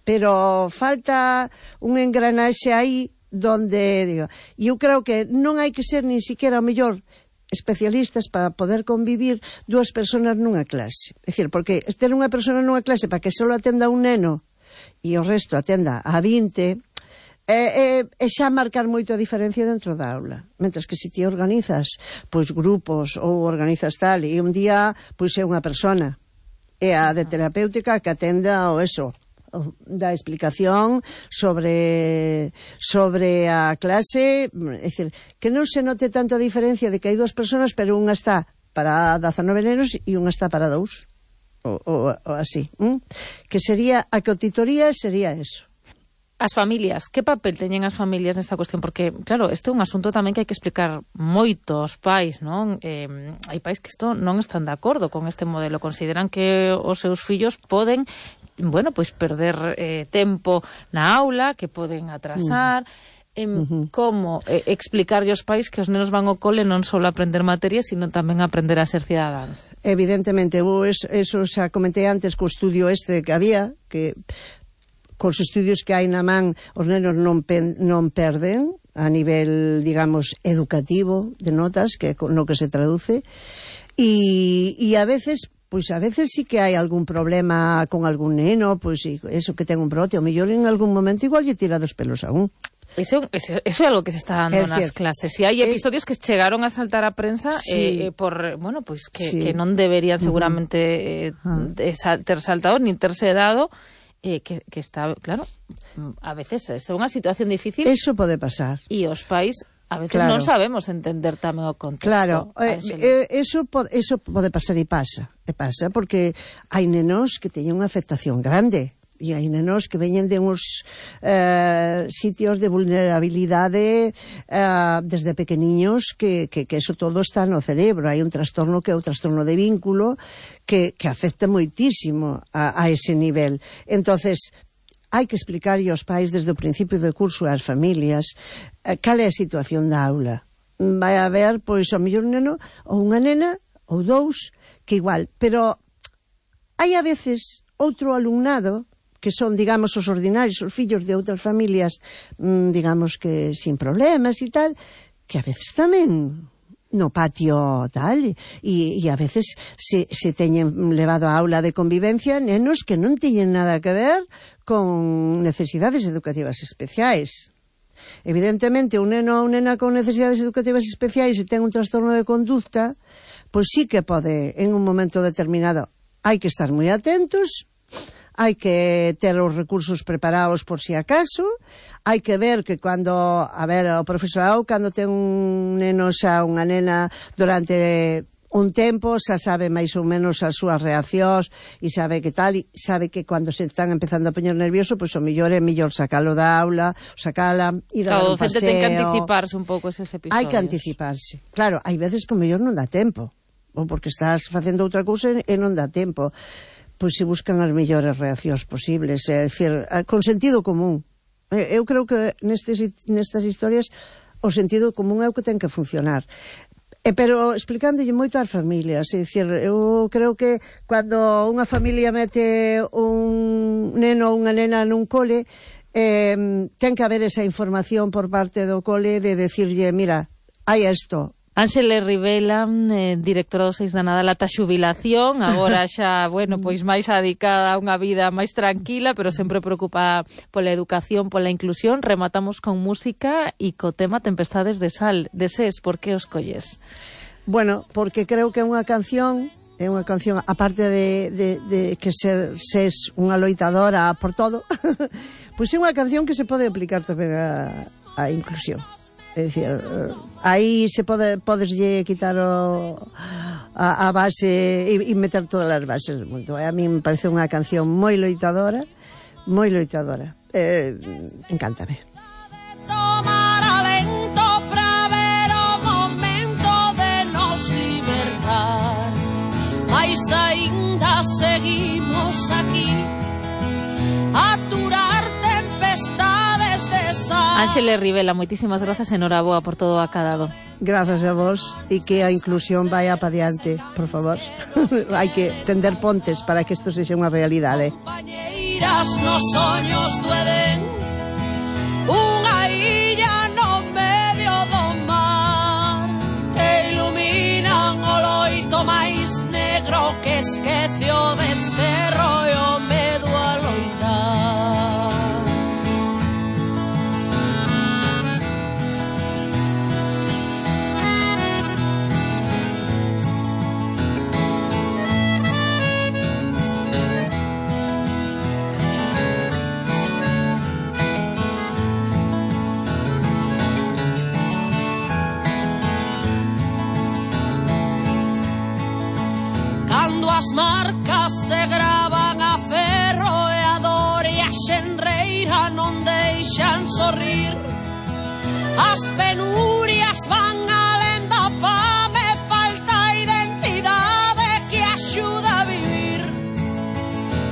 Pero falta un engranaxe aí donde, digo, eu creo que non hai que ser nin siquiera o mellor especialistas para poder convivir dúas persoas nunha clase. É dicir, porque ter unha persona nunha clase para que só atenda un neno e o resto atenda a 20, é xa marcar moito a diferencia dentro da aula. Mentres que se ti organizas pois grupos ou organizas tal, e un día pois é unha persona, é a de terapéutica que atenda o eso, da explicación sobre a clase, é dicir, que non se note tanto a diferencia de que hai dúas persoas, pero unha está para 19 nenos e unha está para 2, ou así, que sería, a cotidoría sería eso. As familias, que papel teñen as familias nesta cuestión? Porque, claro, este é un asunto tamén que hai que explicar moito aos pais, non? Hai pais que isto non están de acordo con este modelo, consideran que os seus fillos poden, bueno, pois perder tempo na aula, que poden atrasar. Como explicarlle aos pais que os nenos van ao cole non só a aprender materias, sino tamén a aprender a ser cidadáns? Evidentemente, eso xa comentei antes co estudio este que había, que cos estudios que hai na man os nenos non perden a nivel, digamos, educativo de notas, que no que se traduce, e a veces sí que hai algún problema con algún neno, pois eso que ten un brote, o mellor en algún momento igual lle tira dos pelos a un. Eso é algo que se está dando nas clases. E hai episodios que chegaron a saltar a prensa por, bueno, pois que non deberían seguramente ter saltado, nin terse dado, que está, claro, a veces é unha situación difícil. Eso pode pasar. E os pais a veces non sabemos entender tamén o contexto. Claro, eso pode pasar e pasa. E pasa porque hai nenos que teñen unha afectación grande. E hai nenos que veñen de uns sitios de vulnerabilidade desde pequeniños que eso todo está no cerebro. Hai un trastorno que é o trastorno de vínculo que afecta moitísimo a ese nivel. Entonces, hai que explicarlle aos pais desde o principio do curso ás familias cal é a situación da aula. Vai haber, pois, ao mellor un neno ou unha nena ou dous que igual, pero hai a veces outro alumnado que son, digamos, os ordinarios, os fillos de outras familias, digamos que sin problemas e tal, que a veces tamén no patio tal, e a veces se teñen levado a aula de convivencia nenos que non teñen nada que ver con necesidades educativas especiais. Evidentemente, un neno ou nena con necesidades educativas especiais e ten un trastorno de conducta, pois sí que pode, en un momento determinado, hai que estar moi atentos, hai que ter os recursos preparados por si acaso, hai que ver que cando, o profesorado, cando ten un neno xa unha nena durante un tempo, xa sabe máis ou menos as súas reaccións e sabe que tal, e sabe que cando se están empezando a poñer nervioso, pois o mellor é mellor sacalo da aula, sacala, ir a dar un paseo. O docente ten que anticiparse un pouco eses episodios. Hai que anticiparse. Claro, hai veces que o mellor non dá tempo, ou porque estás facendo outra cousa e non dá tempo. Pois se buscan as mellores reaccións posibles, é dicir, con sentido común. Eu creo que nestas historias o sentido común é o que ten que funcionar. Pero explicándolle moito ás familias, é dicir, eu creo que cando unha familia mete un neno ou unha nena nun cole, ten que haber esa información por parte do cole de decirlle, mira, hai isto. Ánxele Rivela, directora do 6 da Nadal ata xubilación, agora xa, bueno, pois máis adicada a unha vida máis tranquila, pero sempre preocupada pola educación, pola inclusión. Rematamos con música e co tema Tempestades de Sal, de SES. Por que os colles? Bueno, porque creo que é unha canción, aparte de que SES unha loitadora por todo, pois é unha canción que se pode aplicar tamén a inclusión. É dicir, aí se podeslle quitar a base e meter todas as bases do mundo. A mí me parece unha canción moi loitadora, encántame. Tomar alento para ver o momento de nos libertar, mas aínda seguimos aquí a aturar tempestades de sal. Ánxele Rivela, moitísimas grazas, enhoraboa por todo o acadado. Grazas a vos, e que a inclusión vaya pa diante, por favor. Hai que tender pontes para que isto sexa unha realidade. iras nos soños dueden unha illa no medio do mar que iluminan o loito máis negro que esquece o desterro e o medo a loitar. Cando as marcas se gravan a ferro e a dor e a xenreira non deixan sorrir, as penurias van alén da fame, falta identidade que axuda a vivir,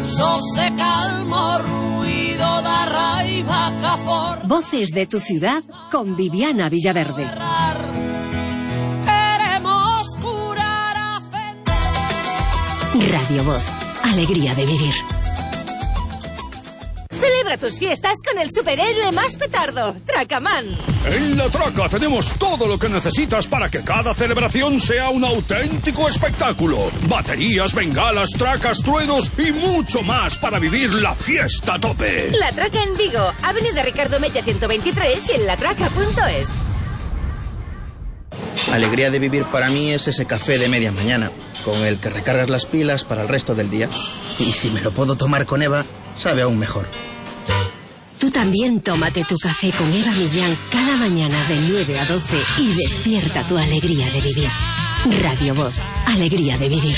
só se calma o ruido da raiva que aforra. Voces de tu ciudad con Viviana Villaverde. Radio Voz, alegría de vivir. Celebra tus fiestas con el superhéroe más petardo, Tracaman. En La Traca tenemos todo lo que necesitas para que cada celebración sea un auténtico espectáculo. Baterías, bengalas, tracas, truenos y mucho más para vivir la fiesta a tope. La Traca en Vigo, Avenida Ricardo Mella 123 y en latraca.es. Alegría de vivir para mí es ese café de media mañana, con el que recargas las pilas para el resto del día. Y si me lo puedo tomar con Eva, sabe aún mejor. Tú también tómate tu café con Eva Millán cada mañana de 9 a 12 y despierta tu alegría de vivir. Radio Voz, alegría de vivir.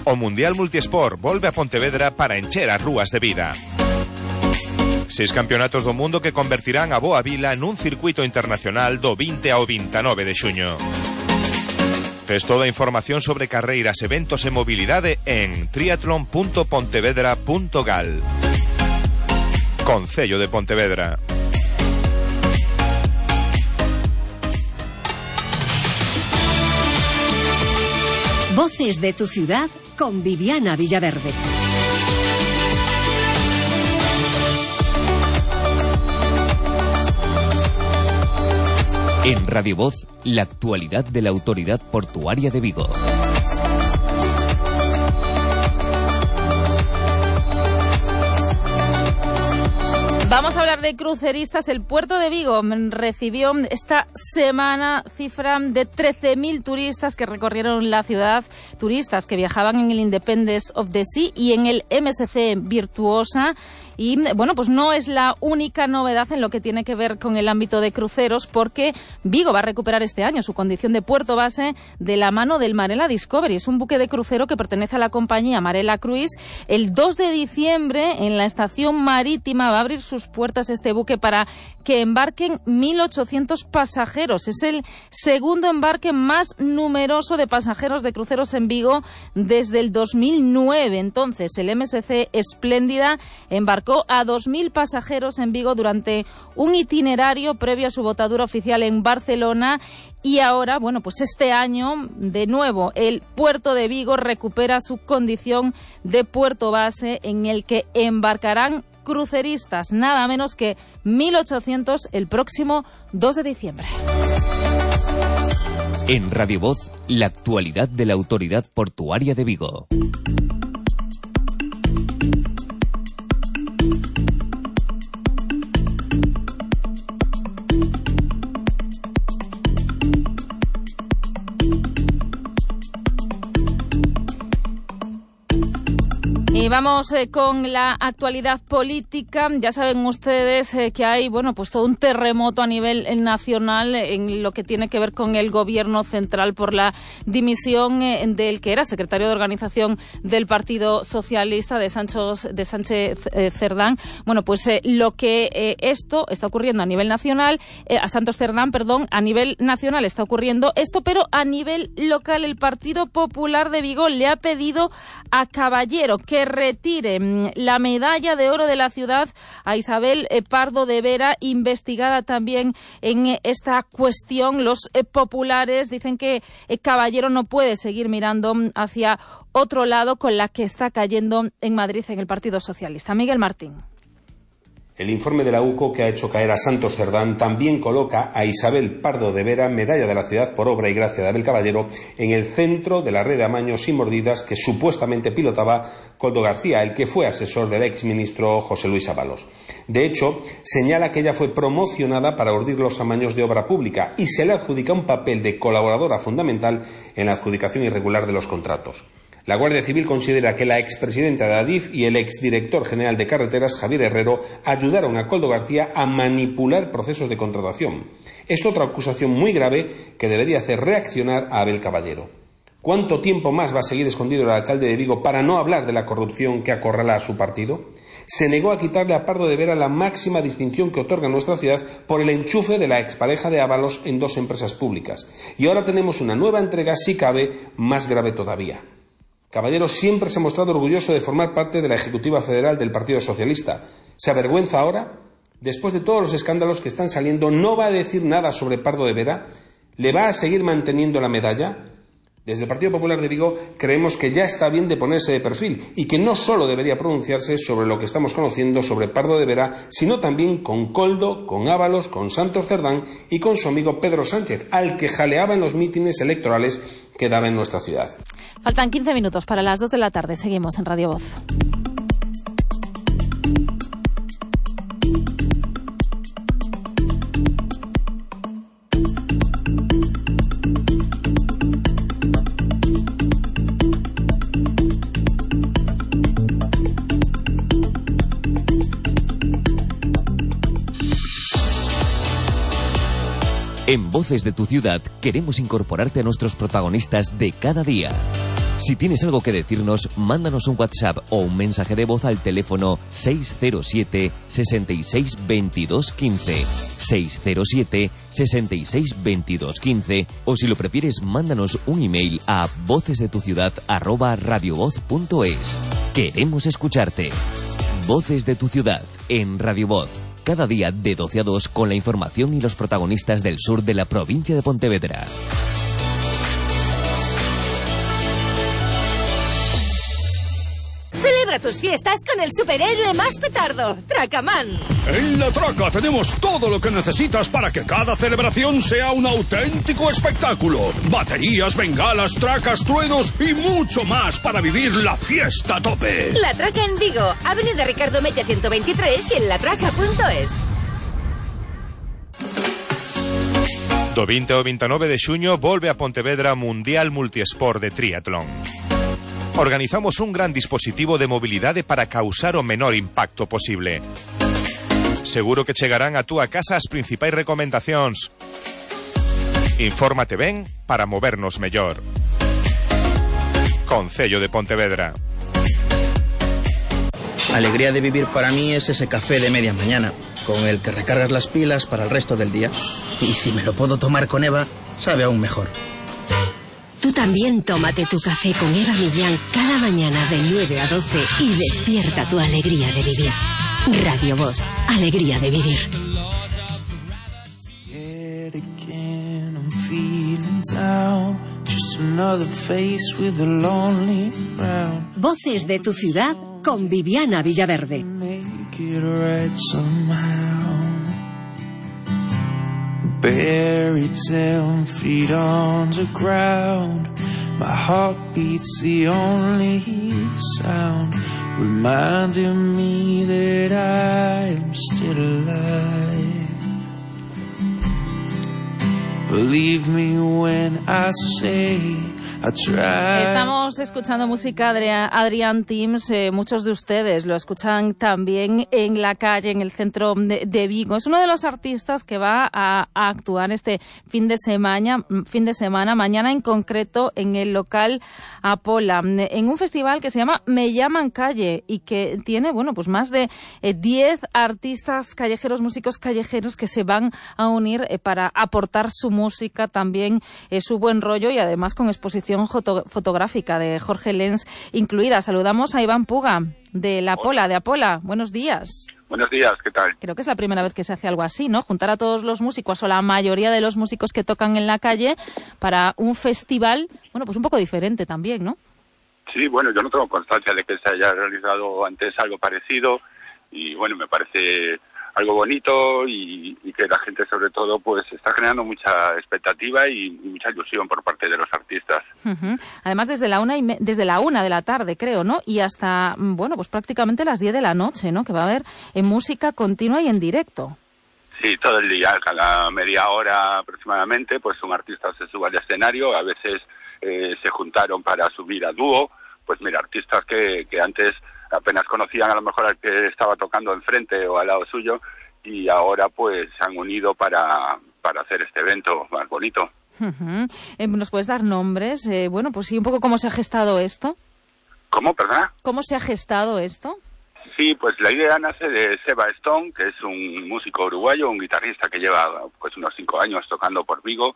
O Mundial Multisport volve a Pontevedra para encher as rúas de vida. 6 campeonatos do mundo que convertirán a Boa Vila nun circuito internacional do 20 ao 29 de xuño. Tes toda a información sobre carreiras, eventos e mobilidade en triatlon.pontevedra.gal. Concello de Pontevedra. Voces de tu ciudad con Viviana Villaverde. En Radio Voz, la actualidad de la Autoridad Portuaria de Vigo. Vamos a hablar de cruceristas. El puerto de Vigo recibió esta semana cifra de 13.000 turistas que recorrieron la ciudad, turistas que viajaban en el Independence of the Sea y en el MSC Virtuosa. Y bueno, pues no es la única novedad en lo que tiene que ver con el ámbito de cruceros, porque Vigo va a recuperar este año su condición de puerto base de la mano del Marella Discovery. Es un buque de crucero que pertenece a la compañía Marella Cruise. El 2 de diciembre en la estación marítima va a abrir sus puertas este buque para que embarquen 1.800 pasajeros. Es el segundo embarque más numeroso de pasajeros de cruceros en Vigo desde el 2009. Entonces, el MSC Espléndida embarcó a 2.000 pasajeros en Vigo durante un itinerario previo a su botadura oficial en Barcelona. Y ahora, bueno, pues este año, de nuevo, el puerto de Vigo recupera su condición de puerto base en el que embarcarán cruceristas, nada menos que 1.800 el próximo 2 de diciembre. En Radio Voz, la actualidad de la Autoridad Portuaria de Vigo. Y vamos con la actualidad política. Ya saben ustedes que hay, bueno, pues todo un terremoto a nivel nacional en lo que tiene que ver con el gobierno central por la dimisión del que era secretario de organización del Partido Socialista, de Sánchez Cerdán. Bueno, pues lo que esto está ocurriendo a nivel nacional, a Santos Cerdán, perdón, a nivel nacional está ocurriendo esto, pero a nivel local el Partido Popular de Vigo le ha pedido a Caballero que retire la medalla de oro de la ciudad a Isabel Pardo de Vera, investigada también en esta cuestión. Los populares dicen que Caballero no puede seguir mirando hacia otro lado con la que está cayendo en Madrid en el Partido Socialista. Miguel Martín. El informe de la UCO, que ha hecho caer a Santos Cerdán, también coloca a Isabel Pardo de Vera, medalla de la ciudad por obra y gracia de Abel Caballero, en el centro de la red de amaños y mordidas que supuestamente pilotaba Koldo García, el que fue asesor del exministro José Luis Ábalos. De hecho, señala que ella fue promocionada para urdir los amaños de obra pública y se le adjudica un papel de colaboradora fundamental en la adjudicación irregular de los contratos. La Guardia Civil considera que la expresidenta de Adif y el exdirector general de Carreteras, Javier Herrero, ayudaron a Koldo García a manipular procesos de contratación. Es otra acusación muy grave que debería hacer reaccionar a Abel Caballero. ¿Cuánto tiempo más va a seguir escondido el alcalde de Vigo para no hablar de la corrupción que acorrala a su partido? Se negó a quitarle a Pardo de Vera la máxima distinción que otorga nuestra ciudad por el enchufe de la expareja de Ábalos en 2 empresas públicas. Y ahora tenemos una nueva entrega, si cabe, más grave todavía. Caballero siempre se ha mostrado orgulloso de formar parte de la Ejecutiva Federal del Partido Socialista. ¿Se avergüenza ahora? Después de todos los escándalos que están saliendo, ¿no va a decir nada sobre Pardo de Vera? ¿Le va a seguir manteniendo la medalla? Desde el Partido Popular de Vigo creemos que ya está bien de ponerse de perfil y que no solo debería pronunciarse sobre lo que estamos conociendo sobre Pardo de Vera, sino también con Koldo, con Ábalos, con Santos Cerdán y con su amigo Pedro Sánchez, al que jaleaba en los mítines electorales que daba en nuestra ciudad. Faltan 15 minutos para las 2 de la tarde. Seguimos en Radio Voz. En Voces de tu Ciudad queremos incorporarte a nuestros protagonistas de cada día. Si tienes algo que decirnos, mándanos un WhatsApp o un mensaje de voz al teléfono 607 66 22 15, 607 66 22 15, o si lo prefieres, mándanos un email a vocesdetuciudad@radiovoz.es. Queremos escucharte. Voces de tu Ciudad en Radio Voz. Cada día de 12 a 2 con la información y los protagonistas del sur de la provincia de Pontevedra. Celebra tus fiestas con el superhéroe más petardo, Tracaman. En La Traca tenemos todo lo que necesitas para que cada celebración sea un auténtico espectáculo. Baterías, bengalas, tracas, truenos y mucho más para vivir la fiesta a tope. La Traca en Vigo, Avenida Ricardo Mella 123 y en latraca.es. Do 20 ao 29 de xuño volve a Pontevedra Mundial Multiesport de Triatlón. Organizamos un gran dispositivo de mobilidade para causar o menor impacto posible. Seguro que chegarán a túa casa as principais recomendacións. Infórmate ben para movernos mellor. Concello de Pontevedra. Alegría de vivir para mí es ese café de media mañana, con el que recargas las pilas para el resto del día. Y si me lo puedo tomar con Eva, sabe aún mejor. Tú también tómate tu café con Eva Millán cada mañana de 9 a 12 y despierta tu alegría de vivir. Radio Voz, alegría de vivir. Voces de tu Ciudad con Viviana Villaverde. Buried 10 feet underground. My heart beats the only sound, reminding me that I am still alive. Believe me when I say Estamos escuchando música de Adrián Tims. Muchos de ustedes lo escuchan también en la calle, en el centro de Vigo. Es uno de los artistas que va a actuar este fin de semana, mañana en concreto, en el local Apola, en un festival que se llama Me Llaman Calle y que tiene, bueno, pues más de 10 artistas callejeros, músicos callejeros que se van a unir para aportar su música, también su buen rollo y además con exposiciones exposición fotográfica de Jorge Lens incluida. Saludamos a Iván Puga, de La Pola, de Apola. Buenos días. Buenos días, ¿qué tal? Creo que es la primera vez que se hace algo así, ¿no? Juntar a todos los músicos o la mayoría de los músicos que tocan en la calle para un festival, bueno, pues un poco diferente también, ¿no? Sí, bueno, yo no tengo constancia de que se haya realizado antes algo parecido y, bueno, me parece algo bonito y que la gente, sobre todo, pues está generando mucha expectativa y mucha ilusión por parte de los artistas. Uh-huh. Además, desde la 1 de la tarde, creo, ¿no? Y hasta, bueno, pues prácticamente las 10 de la noche, ¿no? Que va a haber música continua y en directo. Sí, todo el día, cada media hora aproximadamente, pues un artista se sube al escenario. A veces se juntaron para subir a dúo. Pues mira, artistas que antes apenas conocían a lo mejor al que estaba tocando enfrente o al lado suyo y ahora pues se han unido para hacer este evento más bonito. Uh-huh. ¿Nos puedes dar nombres? Bueno, pues sí, un poco cómo se ha gestado esto. ¿Cómo, perdona? ¿Cómo se ha gestado esto? Sí, pues la idea nace de Seba Stone, que es un músico uruguayo, un guitarrista que lleva pues unos 5 años tocando por Vigo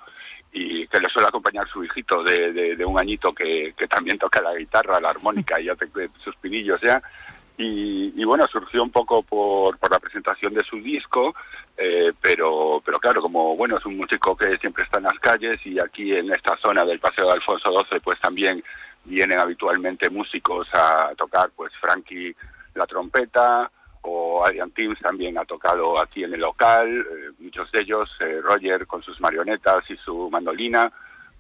y que le suele acompañar su hijito de un añito que también toca la guitarra, la armónica y hace sus pinillos ya. Y bueno, surgió un poco por la presentación de su disco, pero claro, como bueno, es un músico que siempre está en las calles y aquí en esta zona del Paseo de Alfonso XII pues también vienen habitualmente músicos a tocar, pues Frankie la trompeta o Adrian Timms también ha tocado aquí en el local, muchos de ellos, Roger con sus marionetas y su mandolina,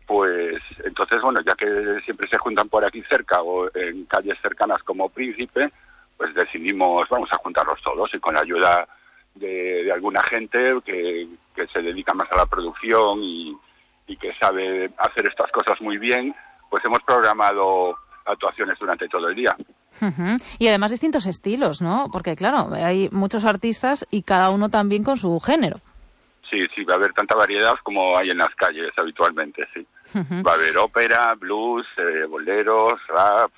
pues entonces bueno, ya que siempre se juntan por aquí cerca o en calles cercanas como Príncipe, pues decidimos, vamos a juntarlos todos y con la ayuda de alguna gente que se dedica más a la producción y que sabe hacer estas cosas muy bien, pues hemos programado actuaciones durante todo el día. Uh-huh. Y además distintos estilos, ¿no? Porque claro, hay muchos artistas y cada uno también con su género. Sí, va a haber tanta variedad como hay en las calles habitualmente, sí. Uh-huh. Va a haber ópera, blues, boleros, rap,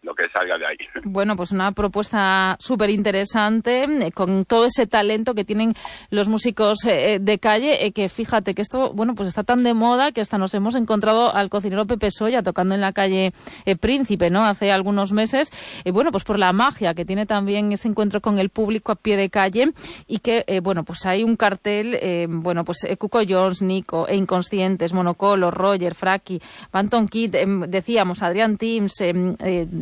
lo que salga de ahí. Bueno, pues una propuesta súper interesante, con todo ese talento que tienen los músicos de calle, que fíjate que esto, bueno, pues está tan de moda que hasta nos hemos encontrado al cocinero Pepe Soya tocando en la calle Príncipe, ¿no? Hace algunos meses, bueno, pues por la magia que tiene también ese encuentro con el público a pie de calle y que, bueno, pues hay un cartel, bueno, pues Cuco Jones, Nico, Inconscientes, Monocolo, Roger, Fraki, Banton Kid, decíamos, Adrian Timms,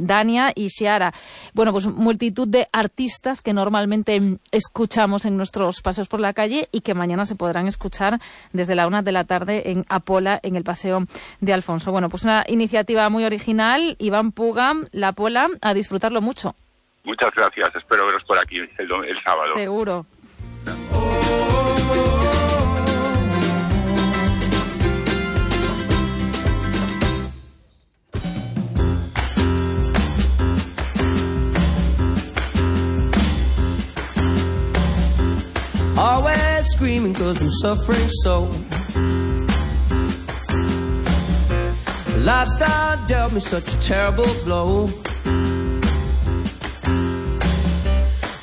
Dania y Ciara. Bueno, pues multitud de artistas que normalmente escuchamos en nuestros paseos por la calle y que mañana se podrán escuchar desde la 1 de la tarde en Apola, en el Paseo de Alfonso. Bueno, pues una iniciativa muy original. Iván Puga, La Pola, a disfrutarlo mucho. Muchas gracias. Espero veros por aquí el sábado. Seguro. Always screaming 'cause I'm suffering so. Lifestyle dealt me such a terrible blow.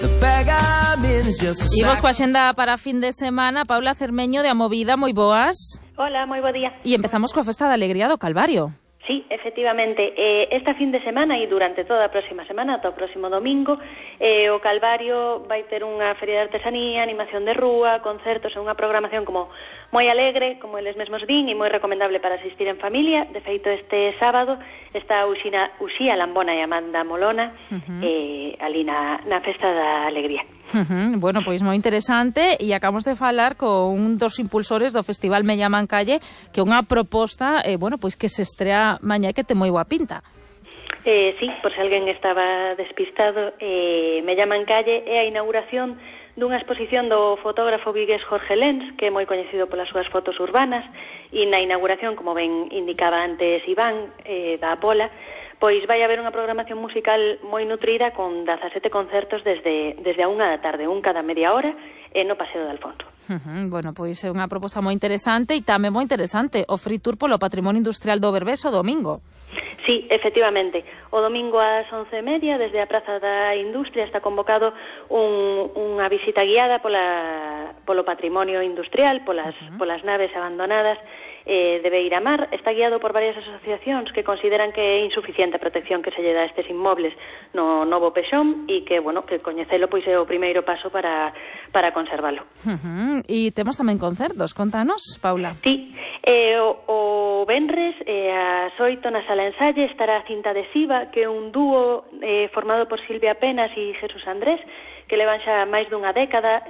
The bag I'm in is just a Imos coa xenda para fin de semana. Paula Cermeño de Amovida, moi boas. Hola, moi bo día. E empezamos coa Festa da Alegría do Calvario. Sí, efectivamente, esta fin de semana e durante toda a próxima semana, ata o próximo domingo, o Calvario vai ter unha feria de artesanía, animación de rúa, concertos e unha programación como moi alegre, como eles mesmos din, e moi recomendable para asistir en familia. De feito, este sábado está Uxía Lambona e Amanda Molona ali na Festa da Alegría. Bueno, pois moi interesante, e acabamos de falar con un dos impulsores do Festival Me Llaman Calle, que é unha proposta, bueno, pois que se estrea mañá que ten moi boa pinta. Sí, por se alguén estaba despistado, Me Llaman Calle é a inauguración dunha exposición do fotógrafo vigués Jorge Lens, que é moi coñecido polas súas fotos urbanas, e na inauguración, como ben indicaba antes Iván, da Apola, pois vai haber unha programación musical moi nutrida con 17 concertos desde a 1 da tarde, un cada media hora, no Paseo de Alfonso. Bueno, pois é unha proposta moi interesante e tamén moi interesante o Free Tour polo Patrimonio Industrial do Berbés o domingo. Sí, efectivamente. O domingo ás 11:30, desde a Praza da Industria, está convocado unha visita guiada polo patrimonio industrial, polas naves abandonadas, de Beiramar está guiado por varias asociacións que consideran que é insuficiente a protección que se lle dá a estes inmobles no novo Pexón e que, bueno, que coñecelo pois é o primeiro paso para conservalo. E temos tamén concertos, contanos, Paula. Sí, o venres a 8 na Sala Ensalle estará Cinta Adhesiva, que é un dúo formado por Silvia Penas e Jesús Andrés, que levan xa máis dunha década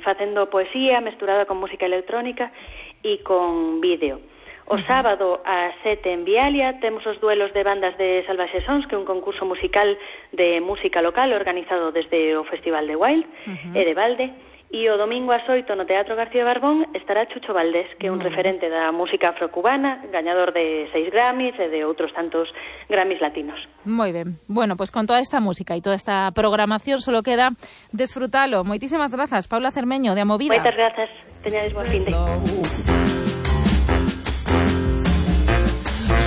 facendo poesía mesturada con música electrónica e con vídeo. O sábado a 7 en Vialia temos os duelos de bandas de Salvaxe Sons, que é un concurso musical de música local organizado desde o Festival de Wild e de Valde. E o domingo ás 8 no Teatro García Barbón estará Chucho Valdés, que é un referente da música afrocubana, gañador de 6 Grammys e de outros tantos Grammys latinos. Moi ben. Bueno, pues con toda esta música e toda esta programación solo queda desfrutalo. Moitísimas grazas, Paula Cermeño, de A Movida. Moitas grazas. Teñades buen fin de.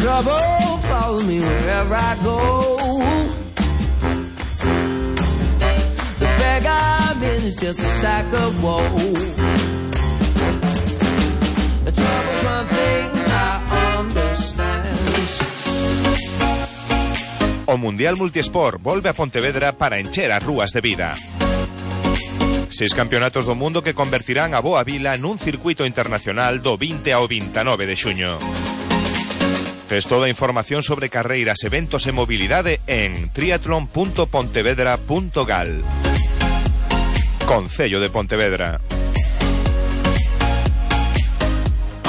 Trouble, follow me wherever I go. The bag I'm in is just a sack of woe. The trouble's one thing I understand. O Mundial Multisport volve a Pontevedra para encher as rúas de vida. 6 campeonatos do mundo que convertirán a Boa Vila nun circuito internacional do 20 ao 29 de xuño. Tes toda a información sobre carreiras, eventos e mobilidade en triatlon.pontevedra.gal. Concello de Pontevedra.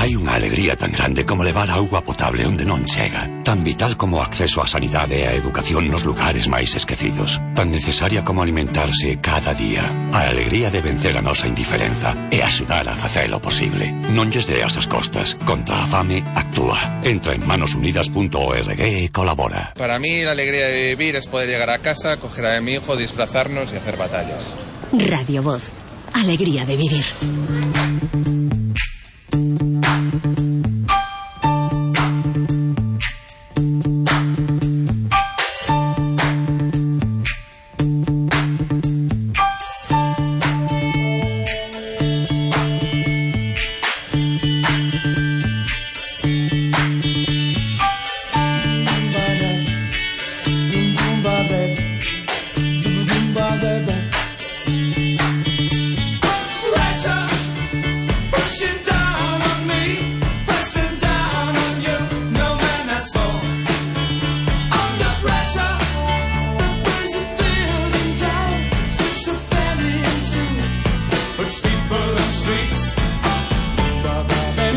Hai unha alegría tan grande como levar auga potable onde non chega, tan vital como o acceso á sanidade e á educación nos lugares máis esquecidos, tan necesaria como alimentarse cada día. A alegría de vencer a nosa indiferenza e axudar a facelo posible. Non lles deas as costas. Contra a fame, actúa. Entra en manosunidas.org e colabora. Para mí la alegría de vivir es poder llegar a casa, coger a mi hijo, disfrazarnos y hacer batallas. Radio Voz. Alegría de vivir.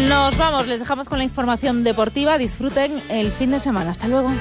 Nos vamos, les dejamos con la información deportiva. Disfruten el fin de semana. Hasta luego.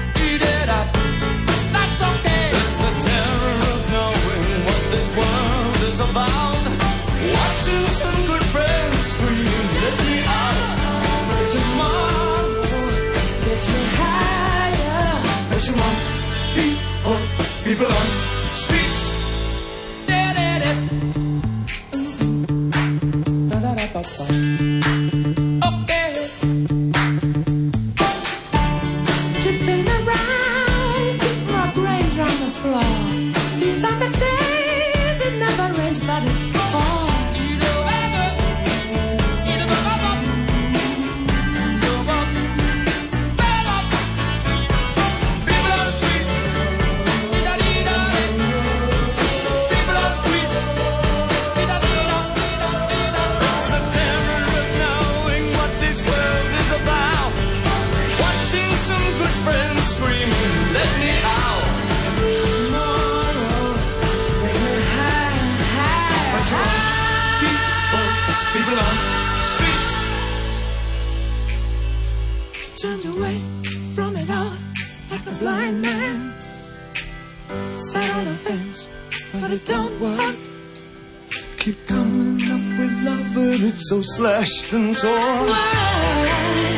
Turned away from it all like a blind man. Sat on the fence, but it don't work. Keep coming up with love, but it's so slashed and torn. Why?